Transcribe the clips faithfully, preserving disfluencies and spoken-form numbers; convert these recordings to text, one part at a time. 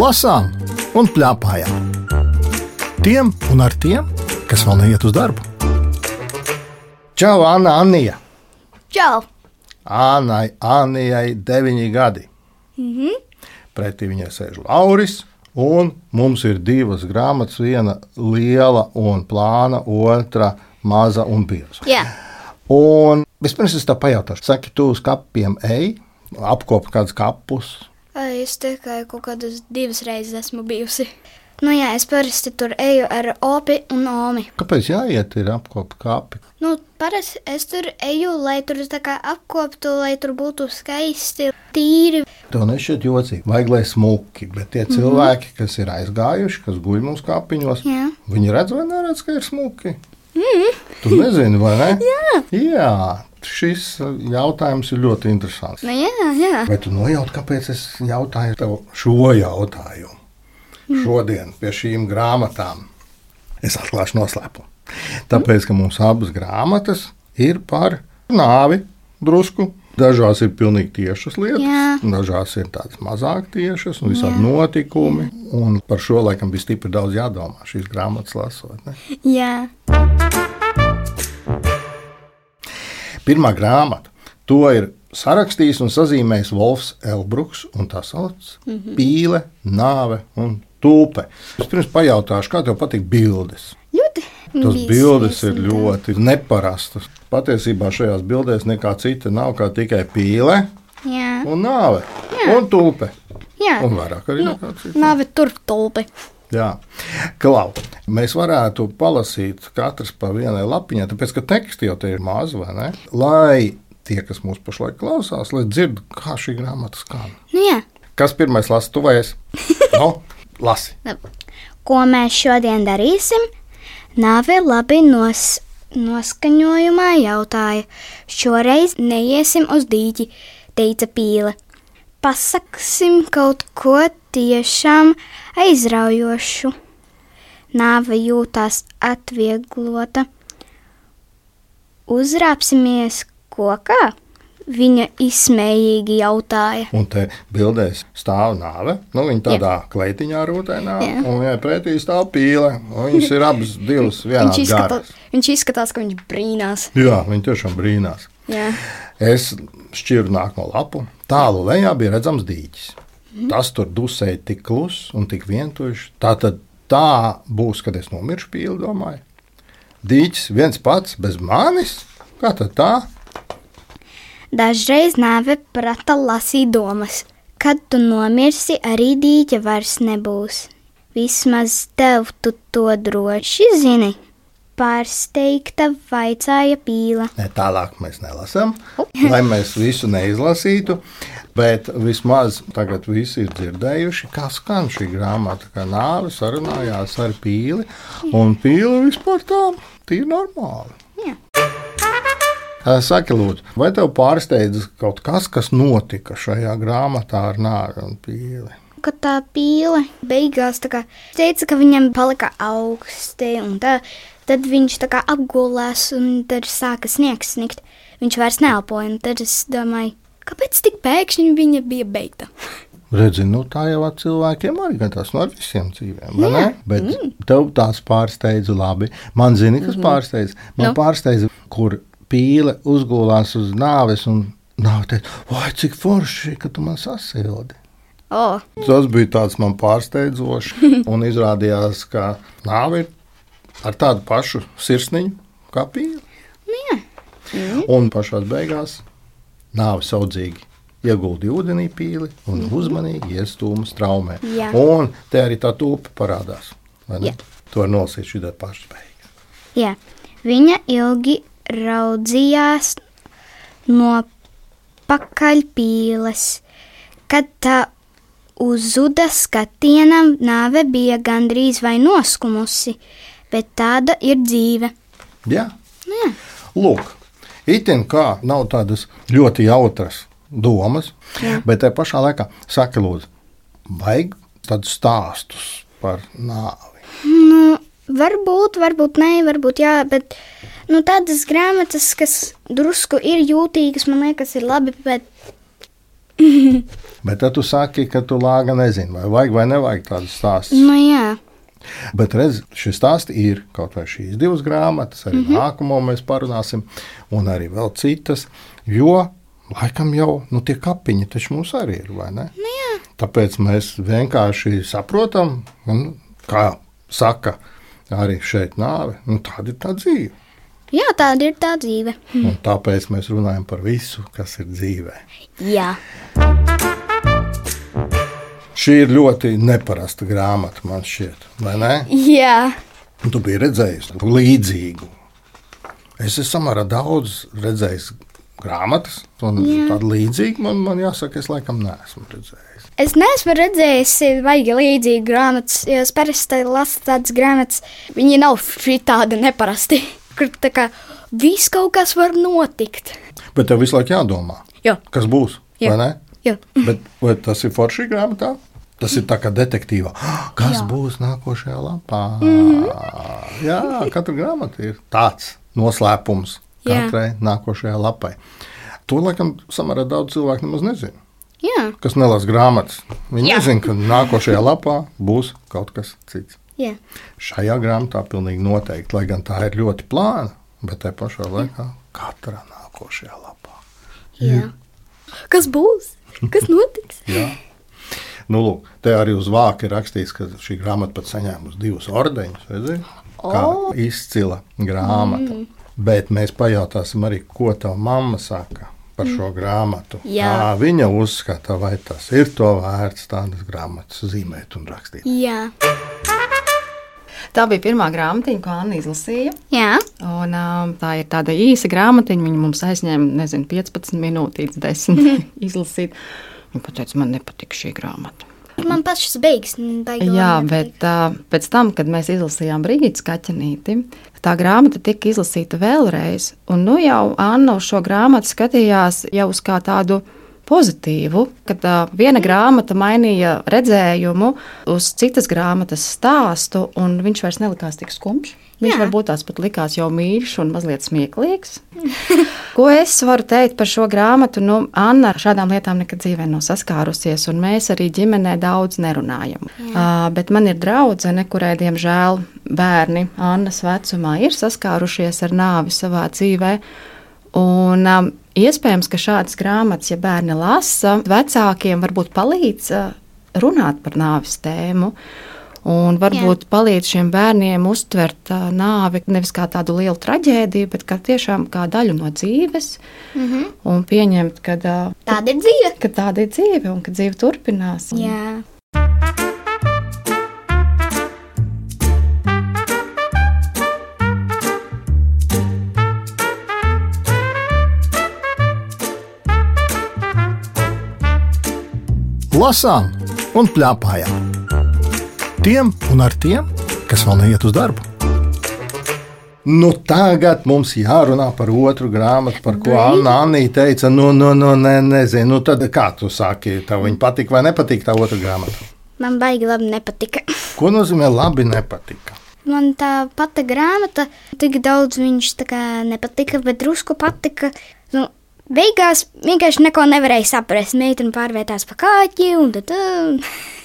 lasām un pļāpājām. Tiem un ar tiem, kas vēl neiet uz darbu. Čau, Anna, Annija! Čau! Annai, Annijai deviņi gadi. Mhm. Pretī viņai sēž Lauris, un mums ir divas grāmatas, viena liela un plāna, otra maza un bieza. Jā. Un vispirms es tā pajautāšu, saki, tu uz kapiem ej, apkopi kādus kapus? Es tikai kaut kādas divas reizes esmu bijusi. Nu jā, es parasti tur eju ar opi un omi. Kāpēc jāiet ir apkopi kapi? Nu, parasti es tur eju, lai tur tā kā apkoptu, lai tur būtu skaisti, tīri. Tev nešķiet jocīgi, vajag, lai smuki, bet tie mm-hmm. cilvēki, kas ir aizgājuši, kas guļ mums kapiņos, Jā. Viņi redz vai neredz, ka ir smuki? Mm. Tu nezini, vai ne? Jā. Jā, šis jautājums ir ļoti interesants. Nu jā, jā. Vai tu nojauti, kāpēc es jautāju tev šo jautājumu? Mm. Šodien pie šīm grāmatām es atklāšu noslēpumu. Tāpēc, ka mums abas grāmatas ir par nāvi drusku. Dažās ir pilnīgi tiešas lietas, Jā. Dažās ir tādas mazāk tiešas un visādi Jā. Notikumi. Un par šo laikam bija stipri daudz jādomā šīs grāmatas lasot. Ne? Jā. Pirmā grāmata, to ir sarakstījis un sazīmējis Wolfs Elbruks, un tā sauc mm-hmm. Pīle, nāve un tulpe. Es pirms pajautāšu, kā tev patīk bildes? Ļoti. Tas bildes ir ļoti neparastas. Patiesībā šajās bildēs nekā cita nav kā tikai pīle Jā. Un nāve Jā. Un tulpe. Jā. Un vairāk arī Nu, nekā cita. nāve tur tulpe. Jā, Klau, mēs varētu palasīt katrs pa vienai lapiņai, tāpēc, ka teksti jau te ir maz, vai ne? Lai tie, kas mūs pašlaik klausās, lai dzird, kā šī grāmata skan. Nu jā. Kas pirmais lasa, tu vai es? No, lasi. Ko mēs šodien darīsim? Nāve labi nos, noskaņojumā jautāja. Šoreiz neiesim uz dīķi, teica Pīle. Pasaksim kaut ko tiešām aizraujošu. Nāve jūtās atvieglota. Uzrāpsimies kokā? Viņa izsmējīgi jautāja. Un te bildēs stāv nāve. Nu, viņa tādā Jā. Kleitiņā rūtēnā, Jā. Un viņai pretī stāv pīle. Viņas ir abas divas vienādas viņš izskatās, garas. Viņš izskatās, ka viņš brīnās. Jā, viņa tiešām brīnās. Jā. Es šķiru nākamo lapu. Tālu lejā bija redzams dīķis. Mm. Tas tur dusēja tik kluss un tik vientuļš. Tā tad tā būs, kad es nomiršu, Pīle domāju. Dīķis viens pats bez manis? Kā tad tā? Dažreiz nāve prata lasīt domas. Kad tu nomirsi, arī dīķa vairs nebūs. Vismaz tev tu to droši zini. Pārsteigta vaicāja Pīle. Ne, tālāk mēs nelasām, lai mēs visu neizlasītu, bet vismaz tagad visi ir dzirdējuši, kā skan šī grāmata, kā nāve sarunājās ar Pīli, un Pīle vispār tā ir normāli. Jā. Saki, lūdzu, vai tev pārsteidz kaut kas, kas notika šajā grāmatā ar nāvi un Pīli? Kad tā Pīle beigās tā kā teica, ka viņam palika augsti un tā, tad viņš tā kā apgulās un tad sāka sniegs snikt. Viņš vairs neelpoja, un tad es domāju, kāpēc tik pēkšņi viņa bija beigta? Redzi, nu tā jau ar cilvēkiem arī, gan tas no ar visiem dzīvēm, vai ne? Bet mm. tev tās pārsteidza labi. Man zini, kas mm-hmm. pārsteidza? Man no. pārsteidza, kur Pīle uzgulās uz nāves un nāve teica, vai cik forši, ka tu man sasildi. Oh. Tas bija tāds man pārsteidzoši un izrādījās, ka nāve ir ar tādu pašu sirsniņu kā Pīle. Jā. Mm. Un pašās beigās nāve saudzīgi ieguldīja ūdenī Pīli un mm. uzmanīgi iestūma straumē. Jā. Un te arī tā tulpe parādās. Jā. To var nolasīt šī tā pašas beigas. Jā. Viņa ilgi raudzījās no pakaļ Pīles. Kad tā uzzuda skatienam, nāve bija gandrīz vai noskumusi, bet tāda ir dzīve. Jā. Jā. Lūk, itin kā nav tādas ļoti jautras domas, Jā. Bet te pašā laikā saka, lūdzu, vajag tādus stāstus par nāvi. Nu, varbūt, varbūt nē, varbūt jā, bet nu, tādas grāmatas, kas drusku ir jūtīgas, man liekas, ir labi, bet Bet tad tu saki, ka tu lāga nezini, vai vajag vai nevajag tādas stāstus. Nu, jā. Bet redz, šis stāsts ir kaut vai šīs divas grāmatas, arī mm-hmm. nākamo mēs parunāsim, un arī vēl citas, jo laikam jau nu, tie kapiņi taču mums arī ir, vai ne? Nu, jā. Tāpēc mēs vienkārši saprotam, un, kā saka arī šeit nāve, nu, tāda ir tā dzīve. Jā, tāda ir tā dzīve. Hm. Un tāpēc mēs runājam par visu, kas ir dzīvē. Jā. Šī ir ļoti neparasta grāmata, man šķiet, vai ne? Jā. Un tu biji redzējis līdzīgu. Es esmu samērā daudz redzējis grāmatas, un Jā. Tādu līdzīgu man, man jāsaka, es laikam neesmu redzējis. Es neesmu redzējis baigi līdzīgu grāmatas, jo es parasti lasu tādas grāmatas, viņi nav šī tāda neparasti. Kur tā kā viss kaut kas var notikt. Bet tev visu laiku jādomā, Jā. Kas būs, Jā. vai ne? Jā. Bet vai tas ir forši grāmatā? Tas ir tā kā detektīvā. Kas Jā. būs nākošajā lapā? Mm-hmm. Jā, katra grāmata ir tāds noslēpums katrai Jā. Nākošajā lapai. To, laikam, samērā daudz cilvēku nemaz nezina. Jā. Kas nelasa grāmatas. Viņi Jā. nezina, ka nākošajā lapā būs kaut kas cits. Jā. Šajā grāmatā pilnīgi noteikti, lai gan tā ir ļoti plāna, bet te pašā laikā katrā nākošajā lapā. Jā. Kas būs? Kas notiks? Jā. Nu, lūk, te arī uz vāka ir rakstīts, ka šī grāmata pat saņēmusi divus ordeņus, redzi? Kā O. izcila grāmata. Mm. Bet mēs pajautāsim arī, ko tava mamma saka par šo grāmatu. Jā. Kā viņa uzskata, vai tas ir to vērts tādas grāmatas zīmēt un rakstīt. Jā. Tā bija pirmā grāmatiņa, ko Anna izlasīja. Jā. Un, um, tā ir tāda īsa grāmatiņa. Viņa mums aizņēma, nezinu, piecpadsmit minūtes, desmit izlasīt. Viņa teica, man nepatīk šī grāmata. Man pašas beigas. Jā, bet uh, pēc tam, kad mēs izlasījām Brigitas Kaķenīti, tā grāmata tika izlasīta vēlreiz. Un nu jau Anna uz šo grāmatu skatījās jau uz kā tādu pozitīvu, kad uh, viena grāmata mainīja redzējumu uz citas grāmatas stāstu, un viņš vairs nelikās tik skumjš. Viņš Jā. varbūt tās pat likās jau mīļš un mazliet smieklīgs. Ko es varu teikt par šo grāmatu? Nu, Anna ar šādām lietām nekad dzīvē nav saskārusies, un mēs arī ģimenē daudz nerunājam. Uh, bet man ir draudzene, kurai, diemžēl, bērni Annas vecumā ir saskārušies ar nāvi savā dzīvē. Un, um, iespējams, ka šādas grāmatas, ja bērni lasa, vecākiem varbūt palīdz uh, runāt par nāves tēmu. Un varbūt Jā. palīdz šiem bērniem uztvert uh, nāvi nevis kā tādu lielu traģēdiju, bet kā tiešām kā daļu no dzīves. Mm-hmm. Un pieņemt, ka uh, tāda ir dzīve. Ka tāda ir dzīve un ka dzīve turpinās. Un... Jā. Lasām un pļāpājām. Tiem un ar tiem, kas vēl neiet uz darbu. Nu, tagad mums jārunā par otru grāmatu, par ko Anna Anī teica. Nu, nu, nu ne, nezinu, nu tad kā tu saki, tev viņa patika vai nepatika tā otra grāmata? Man baigi labi nepatika. Ko nozīmē labi nepatika? Man tā pati grāmata, tik daudz viņš tā kā nepatika, bet drusku patika. Nu, beigās vienkārši neko nevarēja saprast. Meitene pārvietās pa kāķi un tad...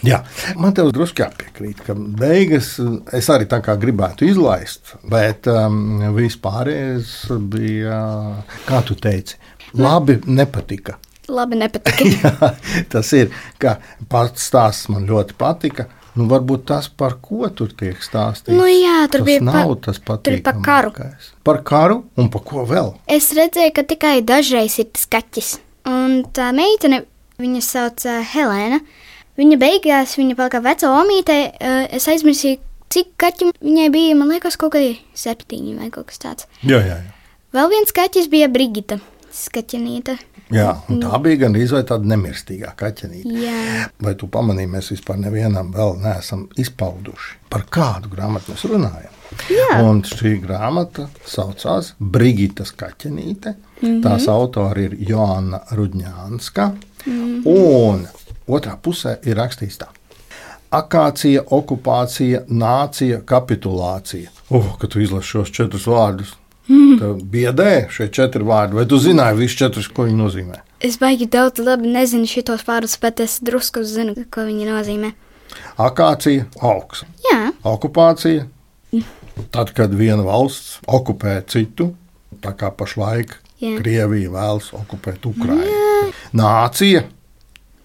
Jā, man tev drusku jāpiekrīt, ka beigas es arī tā kā gribētu izlaist, bet um, vispārējais bija, kā tu teici, labi nepatika. Labi nepatika. Jā, tas ir, ka pats stāsts man ļoti patika. Nu, varbūt tas, par ko tur tiek stāstīts. Nu jā, tur tas bija nav pa, tas patīkamākais. tur ir par karu. Par karu un par ko vēl? Es redzēju, ka tikai dažreiz ir tas kaķis. Un tā meitene, viņa sauc uh, Helēna, viņa beigās, viņa palika veco omītē, uh, es aizmirsīju, cik kaķi viņai bija, man liekas, kaut kādi septiņi vai kaut kas tāds. Jā, jā, jā. Vēl viens kaķis bija Brigita Kaķenīte. Jā, un tā bija gan izvēl tāda nemirstīgā kaķenīte. Jā. Vai tu pamanīji, mēs vispār nevienam vēl neesam izpauduši, par kādu grāmatu mēs runājam. Jā. Un šī grāmata saucās Brigitas Kaķenīte. Mm-hmm. Tās autori ir Joanna Rudņānska. Mm-hmm. Un otrā pusē ir rakstīts tā. Akācija, okupācija, nācija, kapitulācija. Oh, kad tu izlasi šos četrus vārdus. Mm. Tev biedē šie četri vārdi, vai tu zināji visus četrus, ko viņi nozīmē? Es baigi daudz labi nezinu šitos vārdus, bet es drusku zinu, ko viņi nozīmē. Akācija, augs. Jā. Okupācija, tad, kad viena valsts okupē citu, tā kā pašlaik Jā. Krievija vēlas okupēt Ukrainu. Jā. Nācija.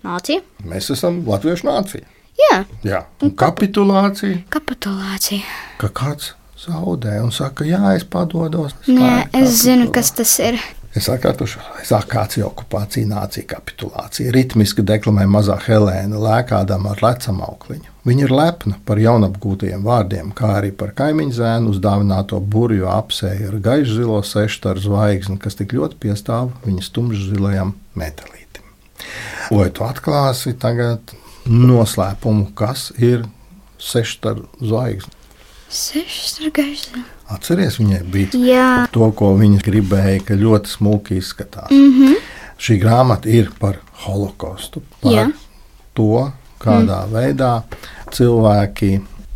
Nācija. Mēs esam latviešu nācija. Jā. Jā. Un kapitulācija. Kapitulācija. Ka kāds zaudē un saka, jā, es padodos. Nē, es zinu, kas tas ir. Es atkārtošu, akācija, okupācija, nācija, kapitulācija. Ritmiski deklamē mazā Helēna, lēkādama ar lecam aukliņu. Viņa ir lepna par jaunapgūtajiem vārdiem, kā arī par kaimiņu zēnu uzdāvināto burju apsēju ar gaišu zilo sešstaru zvaigzni, kas tik ļoti piestāv viņas tumšzilajam metālītim. Vai tu atklāsi tagad noslēpumu, kas ir sešstaru zvaigzni? Sešstaru gaišu. Atceries, viņai bija Jā. To, ko viņa gribēja, ka ļoti smuki izskatās. Mm-hmm. Šī grāmata ir par holokostu, par Jā. To, kādā mm. veidā cilvēki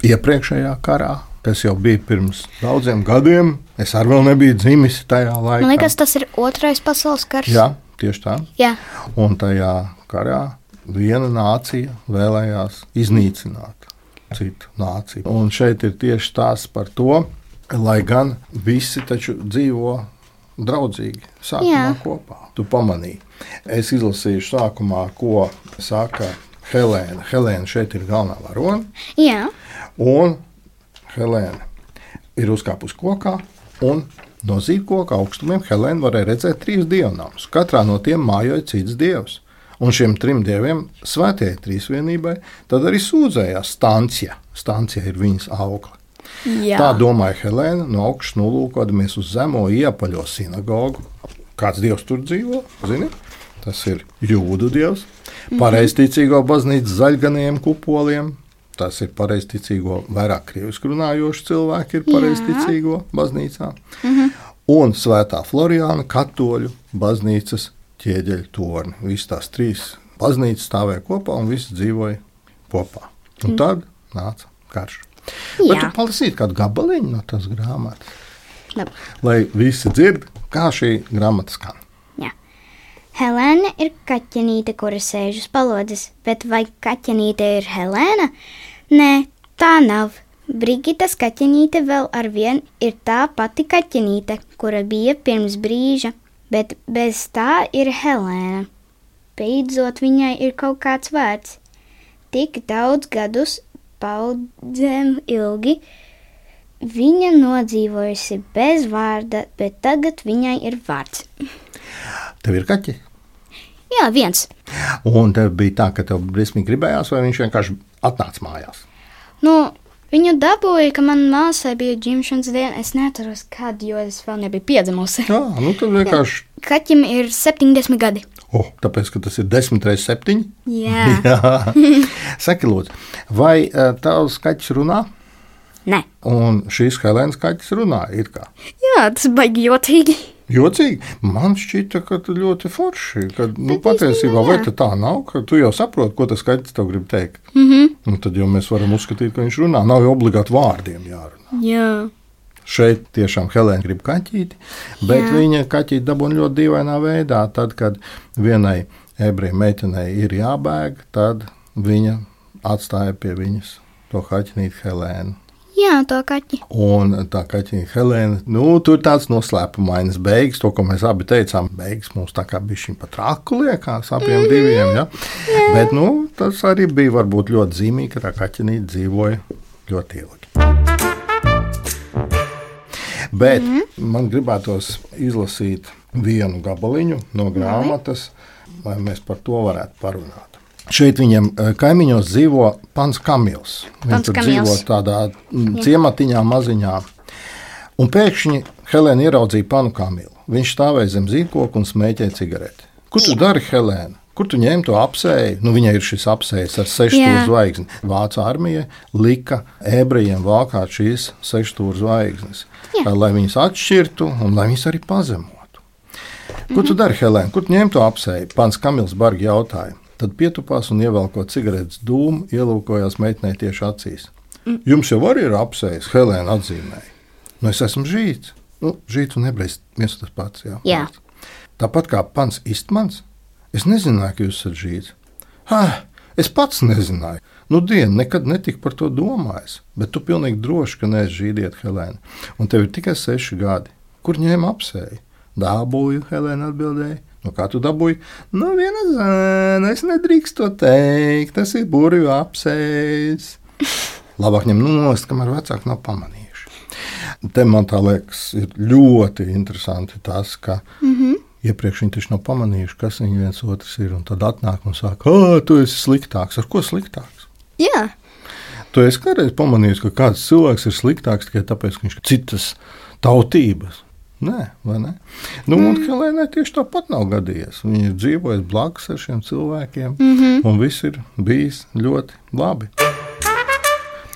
iepriekšējā karā, kas jau bija pirms daudziem gadiem, es arī vēl nebiju dzimis tajā laikā. Man liekas, tas ir otrais pasaules karš. Jā, tieši tā. Jā. Un tajā karā viena nācija vēlējās iznīcināt citu nāciju. Un šeit ir tieši tās par to, lai gan visi taču dzīvo draudzīgi sākumā Jā. Kopā. Tu pamanīji. Es izlasīšu sākumā, ko saka Helēna. Helēna šeit ir galvenā varone. Jā. Un Helēna ir uzkāpus kokā un no zīdkoka augstumiem Helēna varēja redzēt trīs dievnamus. Katrā no tiem mājoja cits dievs. Un šiem trim dieviem svētajai trīsvienībai tad arī sūdzējās Stancija. Stancija ir viņas aukla. Jā. Tā domāja Helēna, no augšas nolūkodamies uz zemo iepaļo sinagogu. Kāds dievs tur dzīvo? Zini? Tas ir jūdu dievs. Pareizticīgo baznīcu zaļganiem kupoliem. Tas ir pareizticīgo, vairāk krievisku runājoši cilvēki ir pareizticīgo baznīcā. Mhm. Un svētā Florijāna katoļu baznīcas ķieģeļu torni. Visas tās trīs baznīcas stāvēja kopā un visi dzīvoja kopā. Un mm. tad nāca karš. Jā. Bet tu palasītu kādu gabaliņu no tās grāmatas, Labi. Lai visi dzird, kā šī grāmata skan. Jā. Helēna ir kaķenīte, kura sēž uz palodzes, bet vai kaķenīte ir Helēna? Nē, tā nav. Brigitas kaķenīte vēl arvien ir tā pati kaķenīte, kura bija pirms brīža, bet bez tā ir Helēna. Beidzot viņai ir kaut kāds vārds. Tik daudz gadus paudzēm ilgi viņa nodzīvojusi bez vārda, bet tagad viņai ir vārds. Tev ir kaķi? Jā, viens. Un tev bija tā, ka tev briesmīgi gribējās, vai viņš vienkārši atnāca mājās? Nu, viņu dabūja, ka man māsai bija dzimšanas diena. Es neatceros, kad, jo es vēl nebiju piedzimusi. Jā, nu tad vienkārši... Jā. Kaķim ir septiņdesmit gadi. O, oh, tāpēc, ka tas ir desmit reizes septiņi? Jā. Jā. Saki, lūdzu, vai uh, tavs kaķis runā? Nē. Un šīs Helēnas kaķis runā, ir kā? Jā, tas baigi jocīgi. Jocīgi? Man šķita, ka tu ļoti forši, ka, nu, patiesībā, vai tā nav, ka tu jau saproti, ko tas kaķis tev grib teikt. Mhm. Un tad jau mēs varam uzskatīt, ka viņš runā. Nav jau obligāti vārdiem jārunā. Jā. Šeit tiešām Helēna grib kaķīti, bet Jā. Viņa kaķīti dabūna ļoti dīvainā veidā. Tad, kad vienai ebreju meitenei ir jābēg, tad viņa atstāja pie viņas to kaķinīti Helēnu. Jā, to kaķi. Un tā kaķinīti Helēna, nu, tur tāds noslēpumainas beigas, to, ko mēs abi teicām, beigas mums tā kā bišķiņ pa traku liekās apiem mm-hmm. diviem, ja? Jā. Bet, nu, tas arī bija varbūt ļoti zīmīgi, ka tā kaķinīti dzīvoja ļoti ilgi. Bet mm-hmm. man gribētos izlasīt vienu gabaliņu no grāmatas, lai mēs par to varētu parunāt. Šeit viņam kaimiņos dzīvo pans Kamils. Viņš tur dzīvo tādā ciematiņā maziņā. Un pēkšņi Helēna ieraudzīja panu Kamilu. Viņš stāvēja zem zīdkoka un smēķēja cigareti. Ko tu dari, Helēna? Kur tu ņēmi to apsēju? Nu, viņai ir šis apsējs ar sešstūru zvaigzni. Vācu armija lika ebrejiem valkāt šīs sešstūru zvaigznes, Jā. Lai viņas atšķirtu un lai viņas arī pazemotu. Ko tu dari, Helēna? Kur tu ņēmi to apsēju? Pans Kamils bargi jautāja. Tad pietupās un ievelkot cigaretes dūmu, ielūkojās meitenei tieši acīs. Mm. Jums jau arī ir apsējis, Helēna atzīmēja. Nu, es esmu žīts. Nu, žīts un ebrejs viens tas pats, jā. jā. Tāpat kā pans Istmans, Es nezināju, ka jūs esat žīds. Ha, es pats nezināju. Nu, diena, nekad netika par to domājis. Bet tu pilnīgi droši, ka neesi žīdiet, Helēna. Un tev ir tikai seši gadi. Kur ņēma apsēju? Dabūju, Helēna atbildēja. Nu, kā tu dabūji? Nu, viena zēna, es nedrīkst to teikt. Tas ir burvju apsējis. Labāk ņem nost, kamēr vecāki nav pamanījuši. Te man tā liekas, ir ļoti interesanti tas, ka mm-hmm. iepriekš viņi taču nav pamanījuši, kas viņi viens otrs ir. Un tad atnāk un saka, ā, tu esi sliktāks. Ar ko sliktāks? Jā. Tu esi kādreiz pamanījis, ka kāds cilvēks ir sliktāks tikai tāpēc, ka viņš ir citas tautības. Nē, vai ne? Nu, mm. un Helēnai tieši tāpat nav gadījies. Viņa ir dzīvojusi blakus ar šiem cilvēkiem, mm-hmm. un viss ir bijis ļoti labi.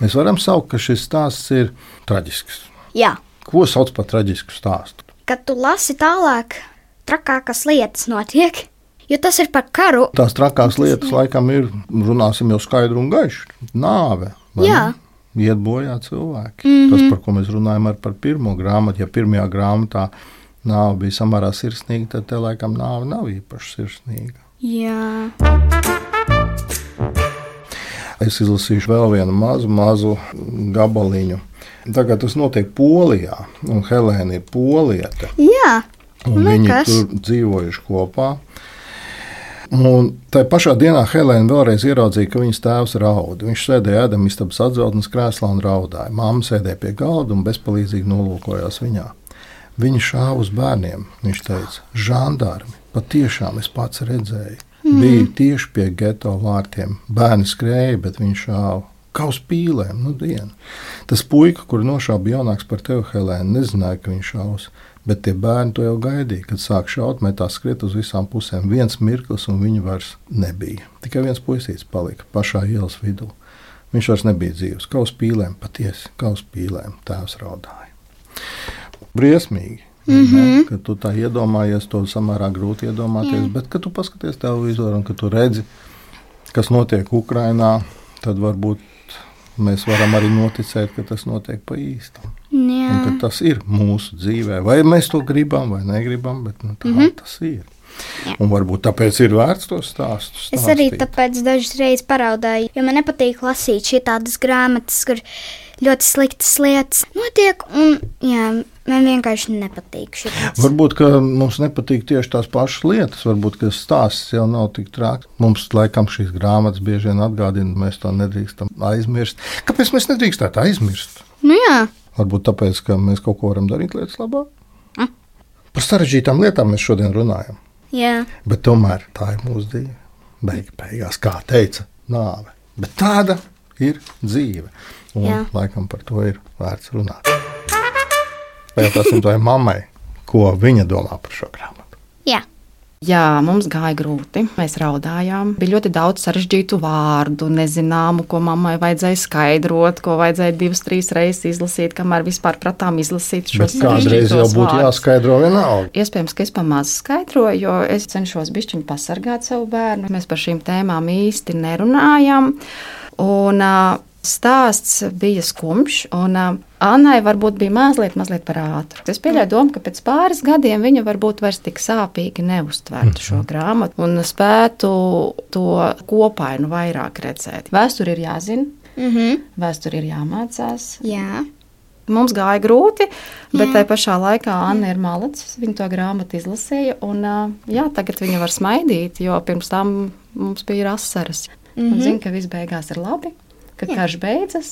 Mēs varam saukt, ka šis stāsts ir traģisks. Jā. Ko sauc par traģisku stāstu? Kad tu lasi tālāk, trakākas lietas notiek, jo tas ir par karu. Tās trakās lietas laikam ir, runāsim jau skaidru un gaišu, nāve. Jā. Ne? Iet bojā cilvēki. Mm-hmm. Tas, par ko mēs runājam ar par pirmo grāmatu, ja pirmajā grāmatā nāve bija samērā sirsnīga, tad te laikam nāve nav īpaši sirsnīga. Jā. Es izlasīšu vēl vienu mazu, mazu gabaliņu. Tagad tas notiek Polijā, un Helēna ir poliete. Jā. Un viņi kas? Tur dzīvojuši kopā. Un tajā pašā dienā Helēna vēlreiz ieraudzīja, ka viņas tēvs raud. Viņš sēdēja ēdamistabas atzeltnes krēslā un raudāja. Māma sēdēja pie galda un bezpalīdzīgi nolūkojās viņā. Viņa šāva uz bērniem. Viņš teica, žandarmi, patiešām es pats redzēju. Mm. Bija tieši pie geto vārtiem. Bērni skrēja, bet viņš šāva. Kā uz pīlēm, nu dienu. Tas puika, kur nošāva jaunāks par tevi, Helēna, nezināja, ka viņš šaus. Bet tie bērni to jau gaidīja, kad sāk šaut, metās skriet uz visām pusēm. Viens mirklis, un viņu vairs nebija. Tikai viens puisīts palika pašā ielas vidū. Viņš vairs nebija dzīvs. Kā uz pīlēm, patiesi, kā uz pīlēm, tēvs raudāja. Briesmīgi, mm-hmm. ne? Kad tu tā iedomājies, to samērā grūti iedomāties, mm. bet kad tu paskaties televizoru un kad tu redzi, kas notiek Ukrainā, tad varbūt mēs varam arī noticēt, ka tas notiek pa īstam. Jā. Un ka tas ir mūsu dzīvē. Vai mēs to gribam, vai negribam, bet nu, tā mm-hmm. tas ir. Jā. Un varbūt tāpēc ir vērts to stāstu stāstīt. Es arī tāpēc dažas reizes paraudāju, jo man nepatīk lasīt šitādas grāmatas, kur ļoti sliktas lietas notiek, un jā, man vienkārši nepatīk šitādas. Varbūt, ka mums nepatīk tieši tās pašas lietas, varbūt, ka stāsts jau nav tik trāks. Mums, laikam, šīs grāmatas bieži vien atgādina, mēs to nedrīkstam aizmirst. Kāpēc mēs nedrīkstētu aizmirst? Nu jā. Varbūt tāpēc, ka mēs kaut ko varam darīt lietas labāk. Mm. Par sarežģītām lietām mēs šodien runājam. Jā. Bet tomēr tā ir mūsu dzīve. Beig, beigās, kā teica, nāve. Bet tāda ir dzīve. Un jā. Laikam par to ir vērts runāt. Pajautāsim tai mammai, ko viņa domā par šo grāmatu. Jā. Jā, mums gāja grūti. Mēs raudājām. Bija ļoti daudz sarežģītu vārdu, nezināmu, ko mammai vajadzēja skaidrot, ko vajadzēja divas, trīs reizes izlasīt, kamēr vispār pratām izlasīt šos sarežģītos vārdus. Kādreiz jau būtu jāskaidro vienalga. Iespējams, ka es pamāzu skaidroju, jo es cenšos bišķiņu pasargāt savu bērnu. Mēs par šīm tēmām īsti nerunājam. Un uh, stāsts bija skumjš, un uh, Annai varbūt bija mazliet, mazliet par ātru. Es pieļauju domu, ka pēc pāris gadiem viņa varbūt vairs tik sāpīgi neuztvertu šo grāmatu un spētu to kopainu vairāk redzēt. Vēsturi ir jāzina, mm-hmm. vēsturi ir jāmācās. Jā. Mums gāja grūti, bet jā. Tai pašā laikā Anna ir malacis. Viņa to grāmatu izlasīja, un jā, tagad viņa var smaidīt, jo pirms tam mums bija asaras. Mm-hmm. Un zina, ka viss beigās ir labi. Kad jā. Karš beidzas.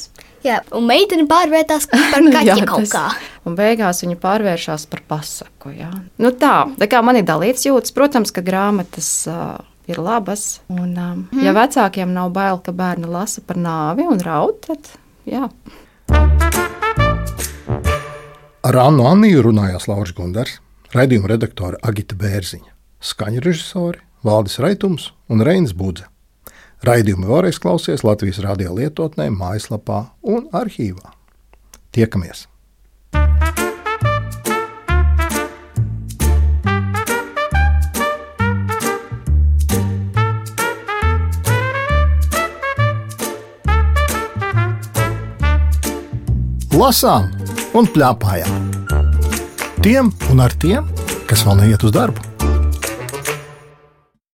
Jā, un meitene pārvērtās par kaķi kaut kā. Un beigās viņa pārvēršās par pasaku, jā. Nu tā, tā kā man ir dalīts jūtas, protams, ka grāmatas uh, ir labas. Un, uh, mm. ja vecākiem nav bail, ka bērni lasa par nāvi un raud, tad jā. Ar Annu Anniju runājās Lauris Gundars, raidījuma redaktore Agita Bērziņa, skaņu režisori Valdis Raitums un Reinis Budze. Raidījumu vēlreiz klausies Latvijas radio lietotnē, mājaslapā un arhīvā. Tiekamies! Lasām un pļāpājām. Tiem un ar tiem, kas vēl neiet uz darbu.